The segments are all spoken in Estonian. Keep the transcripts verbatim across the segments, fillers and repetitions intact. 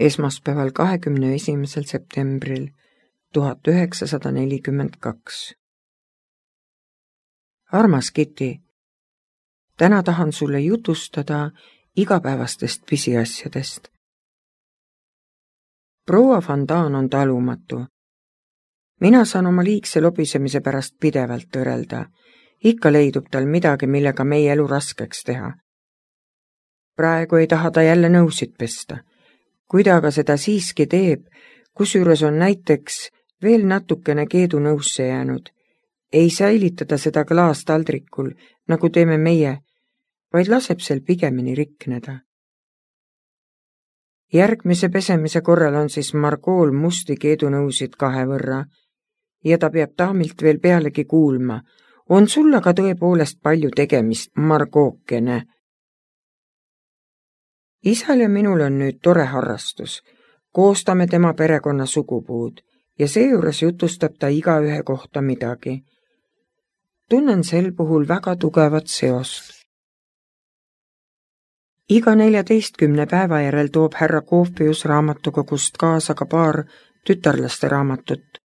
esmaspäeval kahekümne esimesel septembril tuhat üheksasada nelikümmend kaks. Armas Kitty, täna tahan sulle jutustada igapäevastest pisiasjadest. Proua Van Daan on talumatu. Mina saan oma liigse lobisemise pärast pidevalt tõrelda. Ikka leidub tal midagi, millega meie elu raskeks teha. Praegu ei taha ta jälle nõusid pesta. Kui ta aga seda siiski teeb, kusjuures on näiteks veel natukene keedu nõusse jäänud, ei säilitada seda klaas taldrikul, nagu teeme meie, vaid laseb sel pigemini rikneda. Järgmise pesemise korral on siis Margool musti keedunõusid kahe võrra ja ta peab daamilt veel pealegi kuulma. On sul aga tõepoolest palju tegemist, Margookene. Isal ja minul on nüüd tore harrastus. Koostame tema perekonna sugupuud ja seejuures jutustab ta igaühe kohta midagi. Tunnen sel puhul väga tugevat seost. Iga neljateistkümne päeva järel toob härra Koofius raamatukogust kaasa ka paar tütarlaste raamatut.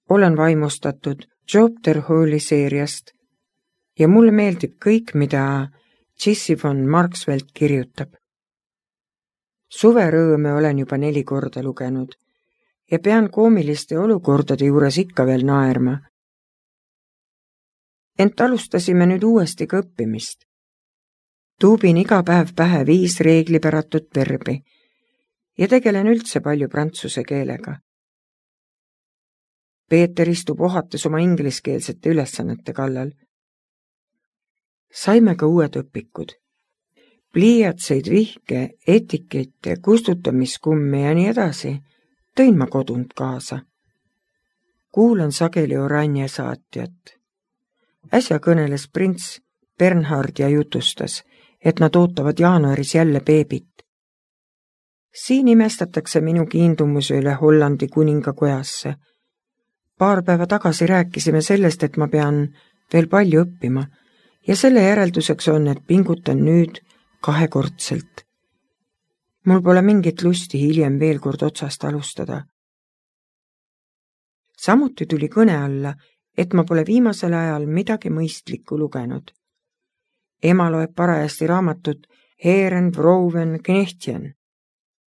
Olen vaimustatud Job Terhooli seeriast ja mulle meeldib kõik, mida Jessie von Marksveld kirjutab. Suverõõme olen juba neli korda lugenud ja pean koomiliste olukordade juures ikka veel naerma. Ent alustasime nüüd uuesti ka õppimist. Tuubin iga päev pähe viis reeglipäratut verbi ja tegelen üldse palju prantsuse keelega. Peeter istub ohates oma ingliskeelsete ülesannete kallal. Saime ka uued õpikud. Pliiatseid, vihke, etikette, kustutamiskumme ja nii edasi tõin ma kodunt kaasa. Kuulan sageli Oranje saatjat. Äsja kõneles prints Bernhard ja jutustas, et nad ootavad jaanuaris jälle beebit. Siin imestatakse minu kiindumuse üle Hollandi kuningakojasse. Paar päeva tagasi rääkisime sellest, et ma pean veel palju õppima ja selle järelduseks on, et pingutan nüüd kahekordselt. Mul pole mingit lusti hiljem veel kord otsast alustada. Samuti tuli kõne alla, et ma pole viimasel ajal midagi mõistlikku lugenud. Ema loeb parajasti raamatut Heren, Vrouwen, Knechtjen.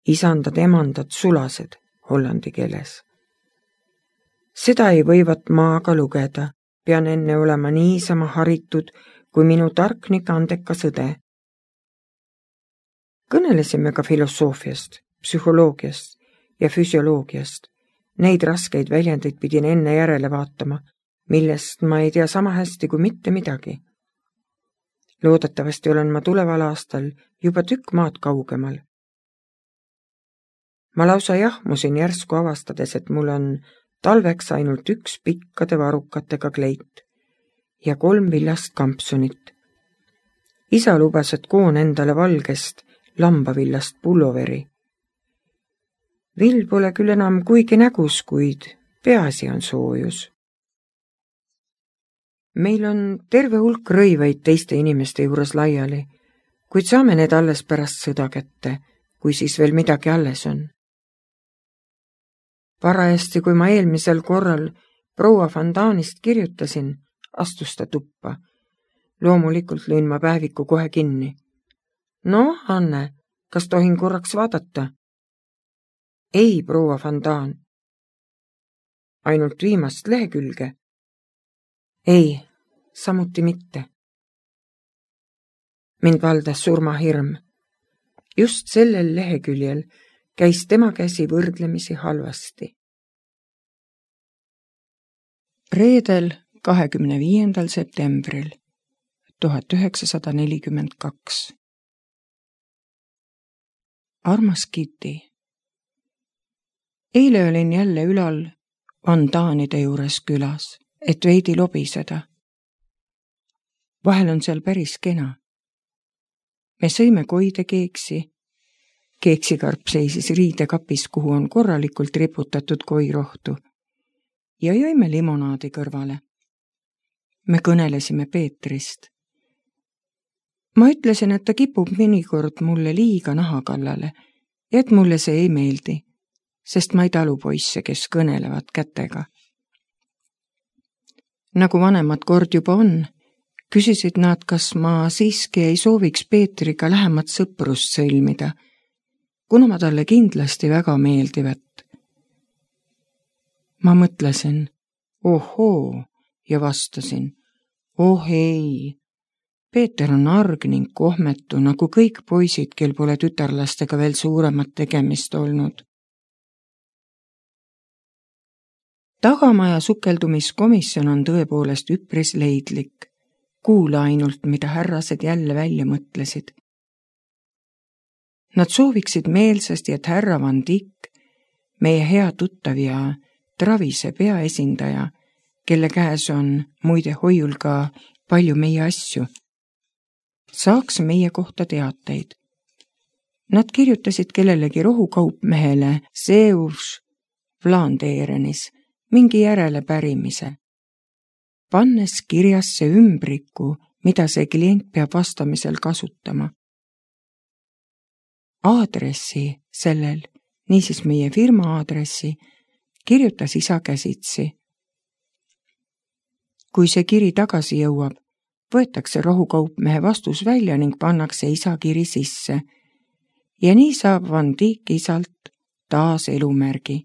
Isandad, emandad, sulased hollandi keeles. Seda ei võivat ma aga lugeda, pean enne olema niisama haritud kui minu tarknik andekas õde. Kõnelesime ka filosoofiast, psühholoogiast ja füsioloogiast. Neid raskeid väljendeid pidin enne järele vaatama, millest ma ei tea sama hästi kui mitte midagi. Loodetavasti olen ma tuleval aastal juba tükk maad kaugemal. Ma lausa jahmusin järsku avastades, et mul on talveks ainult üks pikkade varukatega kleit ja kolm villast kampsunit. Isa lubas, et koon endale valgest lambavillast pulloveri. Vill pole küll enam kuigi nägus, kuid peaasi on soojus. Meil on terve hulk rõivaid teiste inimeste juures laiali, kuid saame need alles pärast sõda kätte, kui siis veel midagi alles on. Parajasti, kui ma eelmisel korral proua Van Daanist kirjutasin, astus ta tuppa. Loomulikult lõin ma päeviku kohe kinni. No, Anne, kas tohin korraks vaadata? Ei, proua Van Daan. Ainult viimast lehekülge? Ei, samuti mitte. Mind valdas surmahirm. Just sellel leheküljel käis tema käsi võrdlemisi halvasti. Reedel kahekümne viiendal septembril tuhat üheksasada nelikümmend kaks. Armas Kitty, eile olin jälle ülal Van Daanide juures külas, et veidi lobiseda. Vahel on seal päris kena. Me sõime koidekeeksi. Keeksikarp seisis riidekapis, kuhu on korralikult riputatud koirohtu, ja jõime limonaadi kõrvale. Me kõnelesime Peetrist. Ma ütlesin, et ta kipub mõnikord mulle liiga naha kallale, ja et mulle see ei meeldi, sest ma ei talu poisse, kes kõnelevad kätega. Nagu vanemad kord juba on, küsisid nad, kas ma siiski ei sooviks Peetriga lähemat sõprust sõlmida, kuna ma talle kindlasti väga meeldivat. Ma mõtlesin, ohoo, ja vastasin, oh ei, Peeter on arg ning kohmetu, nagu kõik poisid, kel pole tütarlastega veel suuremat tegemist olnud. Tagamaja sukeldumiskomisjon on tõepoolest üpris leidlik. Kuula ainult, mida härrased jälle välja mõtlesid. Nad sooviksid meelsasti, et härra Van Dijk, meie hea tuttav ja Travise peaesindaja, kelle käes on muide hoiul ka palju meie asju, saaks meie kohta teateid. Nad kirjutasid kellelegi rohukaupmehele Zeus Vlaandeerenis mingi järele pärimise, pannes kirjasse ümbriku, mida see klient peab vastamisel kasutama. Aadressi sellel, niisiis meie firma aadressi, kirjutas isa käsitsi. Kui see kiri tagasi jõuab, võetakse rohukaupmehe vastus välja ning pannakse isa kiri sisse. Ja nii saab Van Dijk isalt taas elumärgi.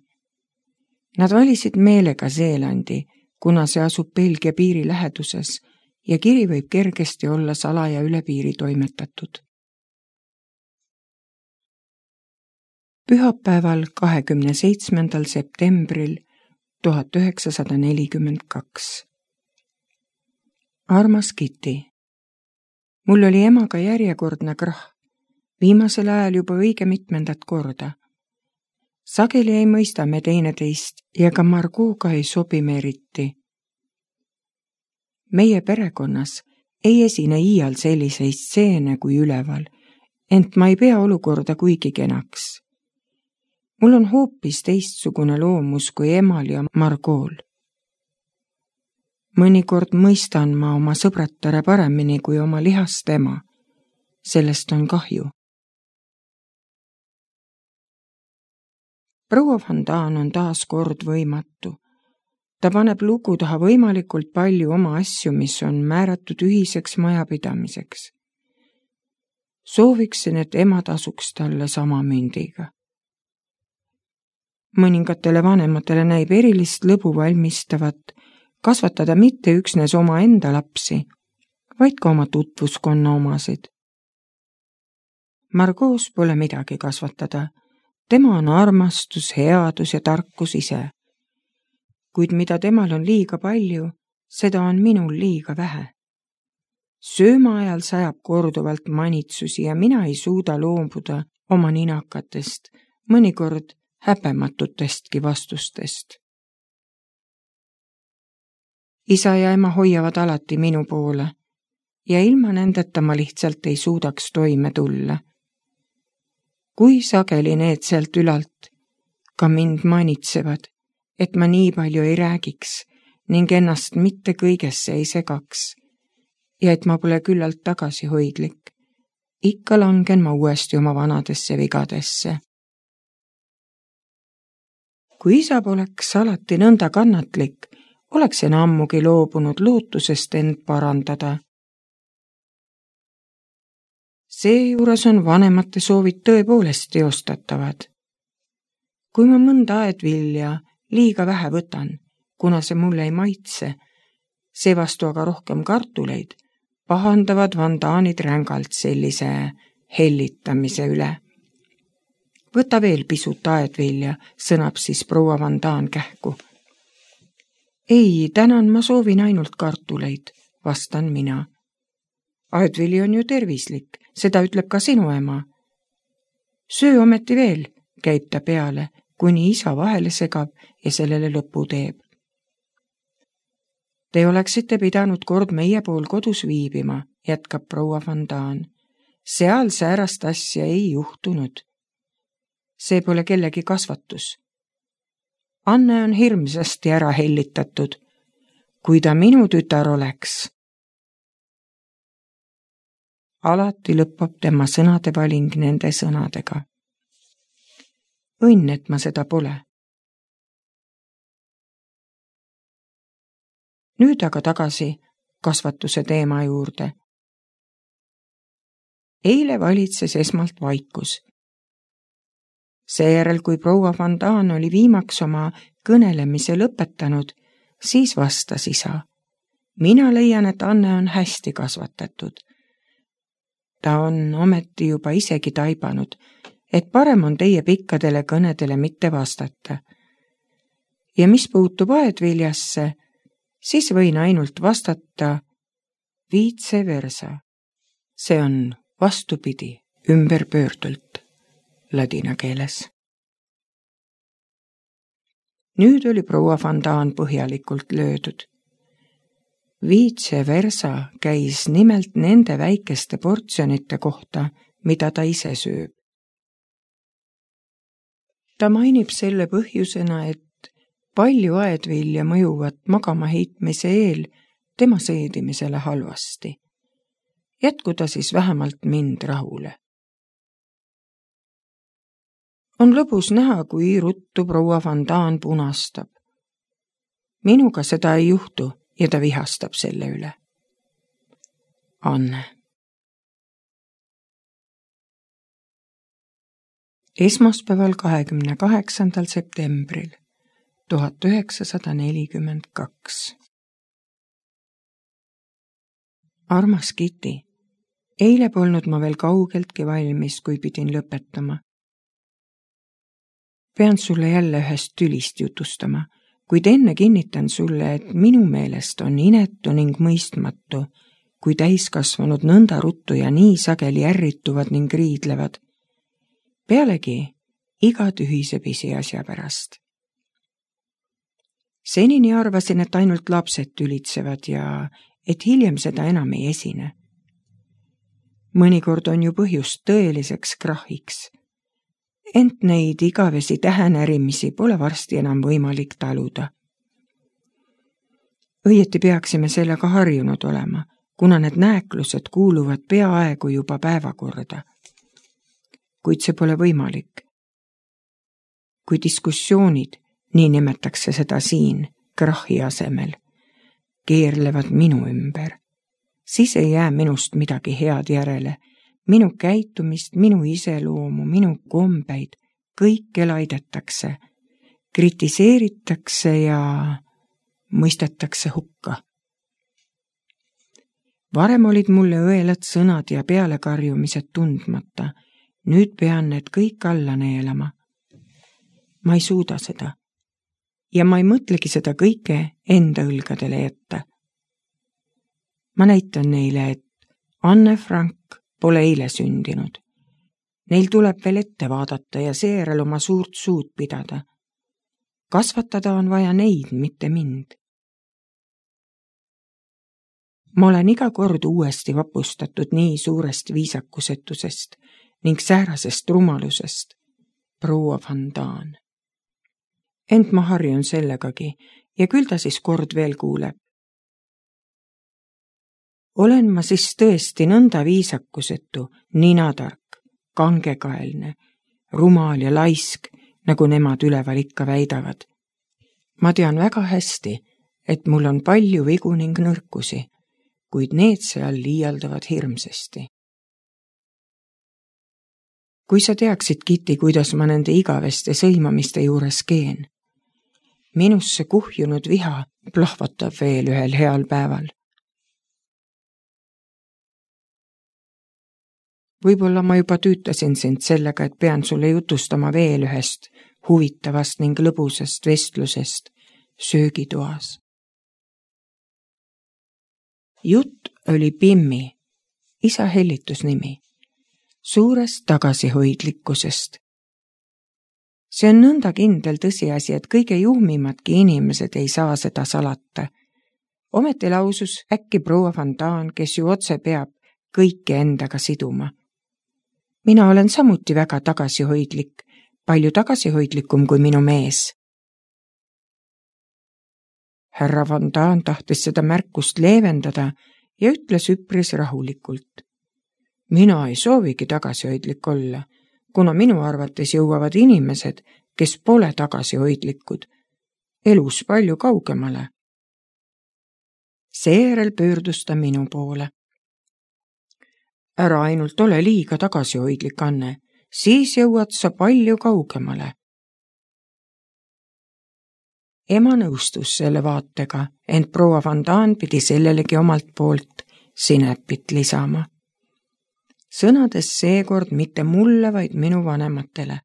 Nad valisid meelega Zeelandi, kuna see asub Belgia piiri läheduses ja kiri võib kergesti olla salaja üle piiri toimetatud. Pühapäeval kahekümne seitsmendal septembril tuhat üheksasada nelikümmend kaks. Armas Kitty, mul oli emaga järjekordne krah, viimasel ajal juba õige mitmendat korda. Sageli ei mõista me teineteist ja ka Margooga ei sobi me eriti. Meie perekonnas ei esine iial selliseid stseene kui üleval, ent ma ei pea olukorda kuigi kenaks. Mul on hoopis teistsugune loomus kui emal ja Margool. Mõnikord mõistan ma oma sõbratare paremini kui oma lihast ema. Sellest on kahju. Proua Van Daan on taas kord võimatu. Ta paneb lugu taha võimalikult palju oma asju, mis on määratud ühiseks majapidamiseks. Sooviksin, et ema tasuks talle sama mündiga. Mõningatele vanematele näib erilist lõbu valmistavat kasvatada mitte üksnes oma enda lapsi, vaid ka oma tutvuskonna omasid. Margoos pole midagi kasvatada. Tema on armastus, headus ja tarkus ise. Kuid mida temal on liiga palju, seda on minul liiga vähe. Sööma ajal sajab korduvalt manitsusi ja mina ei suuda loobuda oma ninakatest, mõnikord häbematutestki vastustest. Isa ja ema hoiavad alati minu poole ja ilma nendeta ma lihtsalt ei suudaks toime tulla. Kui sageli need sealt ülalt ka mind manitsevad, et ma nii palju ei räägiks ning ennast mitte kõigesse ei segaks ja et ma pole küllalt tagasihoidlik, ikka langen ma uuesti oma vanadesse vigadesse. Kui isa poleks alati nõnda kannatlik, oleks en ammugi loobunud lootusest end parandada. Seejuures on vanemate soovid tõepoolest teostatavad. Kui ma mõnda aedvilja liiga vähe võtan, kuna see mulle ei maitse, seevastu aga rohkem kartuleid, pahandavad Van Daanid rängalt sellise hellitamise üle. Võta veel pisut aedvilja, sõnab siis proua Van Daan kähku. Ei, tänan, ma soovin ainult kartuleid, vastan mina. Aedvili on ju tervislik, seda ütleb ka sinu ema. Söö ometi veel, käib ta peale, kuni isa vahele segab ja sellele lõpu teeb. Te oleksite pidanud kord meie pool kodus viibima, jätkab proua Van Daan. Seal säärast asja ei juhtunud. See pole kellegi kasvatus. Anne on hirmsasti ära hellitatud. Kui ta minu tütar oleks. Alati lõppab tema sõnade valing nende sõnadega. õnn, et ma seda pole. Nüüd aga tagasi kasvatuse teema juurde. Eile valitses esmalt vaikus. Seejärel, kui proua Van Daan oli viimaks oma kõnelemise lõpetanud, siis vastas isa. Mina leian, et Anne on hästi kasvatatud. Ta on ometi juba isegi taibanud, et parem on teie pikkadele kõnedele mitte vastata. Ja mis puutub aedviljasse, siis võin ainult vastata vice versa. See on vastupidi, ümberpöördult ladina keeles. Nüüd oli proua Van Daan põhjalikult löödud. Vice versa käis nimelt nende väikeste portsjonite kohta, mida ta ise sööb. Ta mainib selle põhjusena, et palju aedvilja mõjuvad magama heitmise eel tema seedimisele halvasti. Jätku ta siis vähemalt mind rahule. On lõbus näha, kui ruttu proua Van Daan punastab. Minuga seda ei juhtu ja ta vihastab selle üle. Anne. Esmaspäeval kahekümne kaheksandal septembril tuhat üheksasada nelikümmend kaks. Armas Kitty, eile polnud ma veel kaugeltki valmis, kui pidin lõpetama. Pean sulle jälle ühest tülist jutustama, kuid enne kinnitan sulle, et minu meelest on inetu ning mõistmatu, kui täiskasvanud nõnda ruttu ja nii sageli ärrituvad ning riidlevad. Pealegi iga tühise pisiasja pärast. Senini arvasin, et ainult lapsed tülitsevad ja et hiljem seda enam ei esine. Mõnikord on ju põhjust tõeliseks krahhiks. Ent neid igavesi tähenärimisi pole varsti enam võimalik taluda. Õieti peaksime sellega harjunud olema, kuna need nääklused kuuluvad peaaegu juba päevakorda. Kuid see pole võimalik. Kui diskussioonid, nii nimetakse seda siin, krahhi asemel, keerlevad minu ümber, siis ei jää minust midagi head järele. Minu käitumist, minu iseloomu, minu kombeid, kõike laidetakse, kritiseeritakse ja mõistetakse hukka. Varem olid mulle õelad sõnad ja pealekarjumised tundmata, nüüd pean need kõik alla neelama. Ma ei suuda seda ja ma ei mõtlegi seda kõike enda õlgadele jätta. Ma näitan neile, et Anne Frank pole eile sündinud. Neil tuleb veel ette vaadata ja seejärel oma suurt suud pidada. Kasvatada on vaja neid, mitte mind. Ma olen iga kord uuesti vapustatud nii suurest viisakusetusest ning säärasest rumalusest, proua Van Daan. Ent ma harjun sellegagi ja küll ta siis kord veel kuuleb. Olen ma siis tõesti nõnda viisakusetu, ninatark, kangekaelne, rumal ja laisk, nagu nemad üleval ikka väidavad. Ma tean väga hästi, et mul on palju vigu ning nõrkusi, kuid need seal liialdavad hirmsasti. Kui sa teaksid, Kitty, kuidas ma nende igaveste sõimamiste juures keen. Minusse kuhjunud viha plahvatab veel ühel heal päeval. Võib-olla ma juba tüütasin sind sellega, et pean sulle jutustama veel ühest huvitavast ning lõbusast vestlusest söögitoas. Jutt oli Pimmi, isa hellitusnimi, suurest tagasihoidlikkusest. See on nõnda kindel tõsiasi, et kõige juhmimadki inimesed ei saa seda salata. Ometi lausus äkki proua Van Daan, kes ju otse peab kõike endaga siduma. Mina olen samuti väga tagasihoidlik, palju tagasihoidlikum kui minu mees. Härra Van Daan tahtis seda märkust leevendada ja ütles üpris rahulikult. Mina ei soovigi tagasihoidlik olla. kuna minu arvates jõuavad inimesed, kes pole tagasihoidlikud, elus palju kaugemale. Seejärel pöördus ta minu poole. Ära ainult ole liiga tagasihoidlik, Anne, siis jõuad sa palju kaugemale. Ema nõustus selle vaatega, ent proua Van Daan pidi sellelegi omalt poolt sinepit lisama. Sõnades seekord mitte mulle, vaid minu vanematele.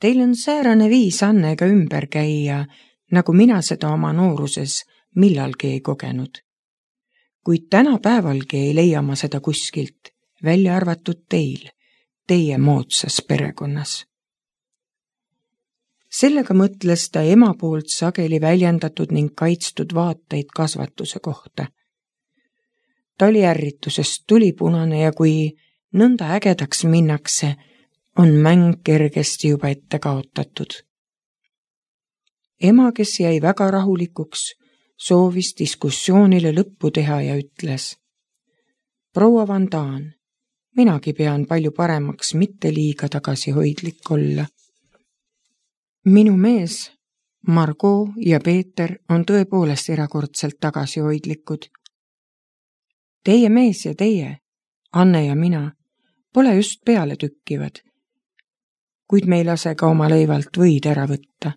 Teil on säärane viis Annega ümber käia, nagu mina seda oma nooruses millalgi ei kogenud. Kuid tänapäevalgi ei leia ma seda kuskilt, välja arvatud teil, teie moodsas perekonnas. Sellega mõtles ta ema poolt sageli väljendatud ning kaitstud vaateid kasvatuse kohta. Ta oli ärritusest tulipunane ja kui nõnda ägedaks minnakse, on mäng kergesti juba ette kaotatud. Ema, kes jäi väga rahulikuks, soovis diskussioonile lõppu teha ja ütles: proua Van Daan, minagi pean palju paremaks mitte liiga tagasihoidlik olla. Minu mees, Margot ja Peeter on tõepoolest erakordselt tagasihoidlikud. Teie mees ja teie, Anne ja mina, pole just peale tükkivad, kuid me ei lase ka oma leivalt võid ära võtta.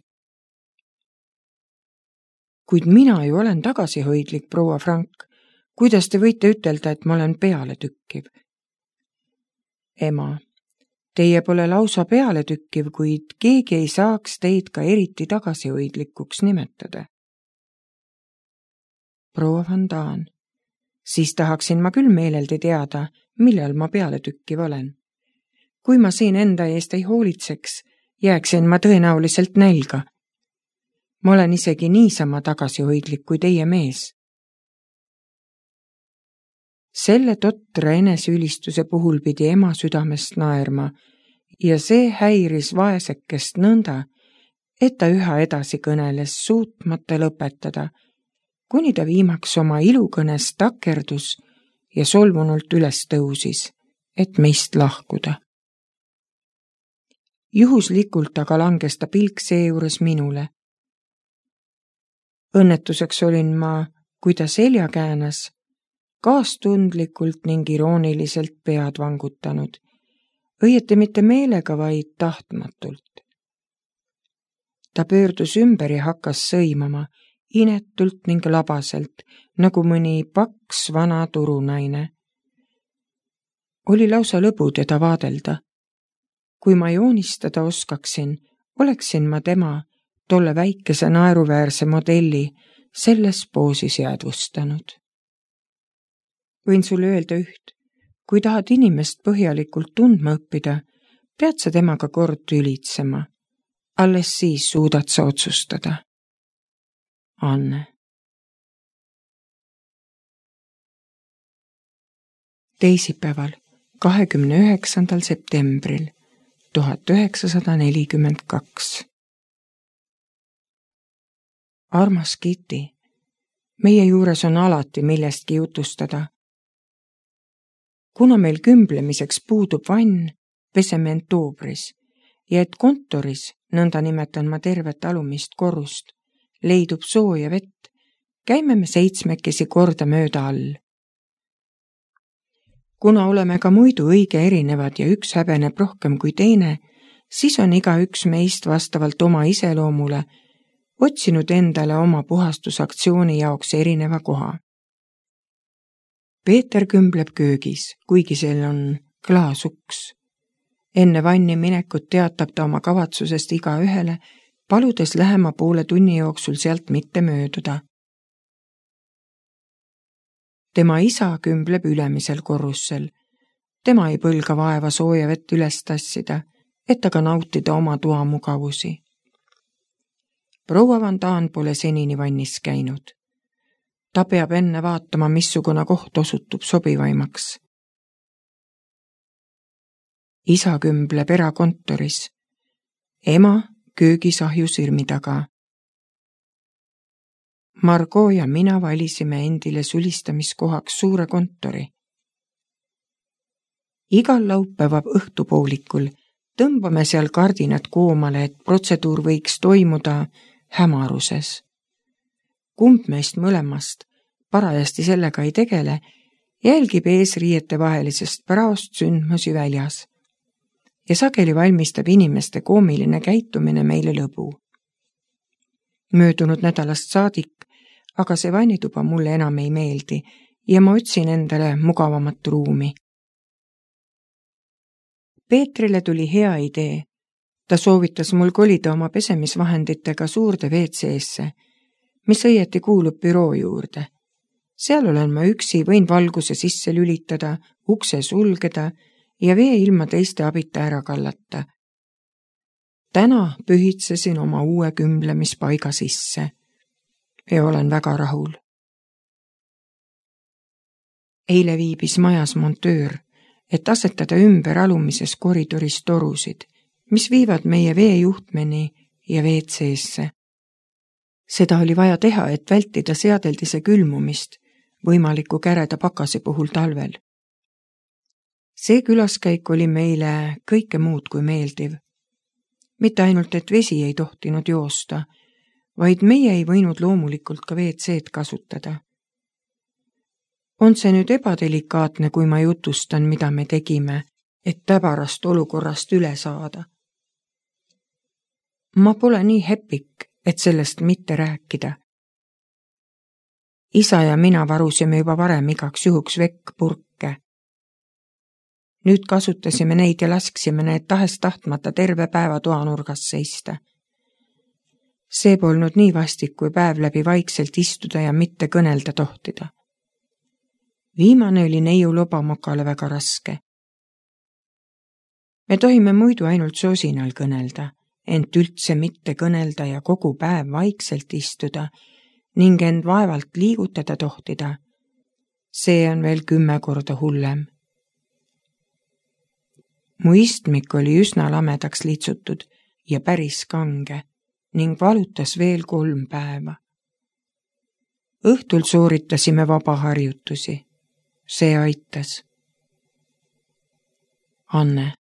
Kuid mina ju olen tagasihoidlik, proua Frank, kuidas te võite ütelda, et ma olen peale tükkiv? Ema, teie pole lausa peale tükkiv, kuid keegi ei saaks teid ka eriti tagasihoidlikuks nimetada. Proua Van Daan, siis tahaksin ma küll meeleldi teada, millal ma peale tükkiv olen. Kui ma siin enda eest ei hoolitseks, jääksin ma tõenäoliselt nälga. Ma olen isegi niisama tagasihoidlik kui teie mees. Selle totra eneseülistuse puhul pidi ema südamest naerma ja see häiris vaesekest nõnda, et ta üha edasi kõneles suutmata lõpetada, kuni ta viimaks oma ilukõnes takerdus ja solvunult üles tõusis, et meist lahkuda. Juhuslikult aga langes ta pilk seejuures minule. Õnnetuseks olin ma, kui ta selja käänas, kaastundlikult ning irooniliselt pead vangutanud, õieti mitte meelega, vaid tahtmatult. Ta pöördus ümber ja hakkas sõimama, inetult ning labaselt, nagu mõni paks vana turunaine. Oli lausa lõbu teda vaadelda. Kui ma joonistada oskaksin, oleksin ma tema, tolle väikese naeruväärse modelli, selles poosis jäädvustanud. Võin sulle öelda üht, kui tahad inimest põhjalikult tundma õppida, pead sa temaga kord tülitsema. Alles siis suudad sa otsustada. Anne. Teisipäeval, kahekümne üheksandal septembril tuhat üheksasada nelikümmend kaks. Armas Kitty, meie juures on alati millestki jutustada. Kuna meil kümblemiseks puudub vann, peseme oktoobris ja et kontoris, nõnda nimetan ma tervet alumist korrust, leidub sooja vett, käime me seitsmekesi korda mööda all. Kuna oleme ka muidu õige erinevad ja üks häbeneb rohkem kui teine, siis on iga üks meist vastavalt oma iseloomule otsinud endale oma puhastusaktsiooni jaoks erineva koha. Peeter kümbleb köögis, kuigi seal on klaasuks. Enne vanni minekut teatab ta oma kavatsusest iga ühele, paludes lähema poole tunni jooksul sealt mitte mööduda. Tema isa kümbleb ülemisel korrussel. Tema ei põlga vaeva sooja vett üles tassida, et aga nautida oma toa mugavusi. Proua Van Daan pole senini vannis käinud. Ta peab enne vaatama, missugune koht osutub sobivaimaks. Isa kümbleb erakontoris. Ema köögisahju sirmi taga. Margot ja mina valisime endile sulistamiskohaks suure kontori. Igal laupäeva õhtupoolikul tõmbame seal kardinad koomale, et protseduur võiks toimuda hämaruses. Kumb meist mõlemast parajasti sellega ei tegele, jälgib eesriiete vahelisest praost sündmusi väljas ja sageli valmistab inimeste koomiline käitumine meile lõbu. Möödunud nädalast saadik, aga see vannituba mulle enam ei meeldi ja ma otsin endale mugavamat ruumi. Peetrile tuli hea idee. Ta soovitas mul kolida oma pesemisvahenditega suurde V C-sse, mis õieti kuulub büroo juurde. Seal olen ma üksi, võin valguse sisse lülitada, ukse sulgeda ja vee ilma teiste abita ära kallata. Täna pühitsesin oma uue kümblemispaiga sisse ja olen väga rahul. Eile viibis majas montöör, et asetada ümber alumises koridoris torusid, mis viivad meie veejuhtmeni ja V C-sse. Seda oli vaja teha, et vältida seadeldise külmumist võimaliku käreda pakase puhul talvel. See külaskäik oli meile kõike muud kui meeldiv. Mitte ainult, et vesi ei tohtinud joosta, vaid meie ei võinud loomulikult ka V C-d kasutada. On see nüüd ebadelikaatne, kui ma jutustan, mida me tegime, et täbarast olukorrast üle saada? Ma pole nii hepik, et sellest mitte rääkida. Isa ja mina varusime juba varem igaks juhuks vekkpurke. Nüüd kasutasime neid ja lasksime need tahes tahtmata terve päeva toanurgas seista. See polnud nii vastik, kui päev läbi vaikselt istuda ja mitte kõnelda tohtida. Viimane oli neiu lobamokale väga raske. Me tohime muidu ainult sosinal kõnelda, ent üldse mitte kõnelda ja kogu päev vaikselt istuda ning end vaevalt liigutada tohtida. See on veel kümme korda hullem. Mu istmik oli üsna lamedaks litsutud ja päris kange ning valutas veel kolm päeva. Õhtul sooritasime vabaharjutusi. See aitas. Anne.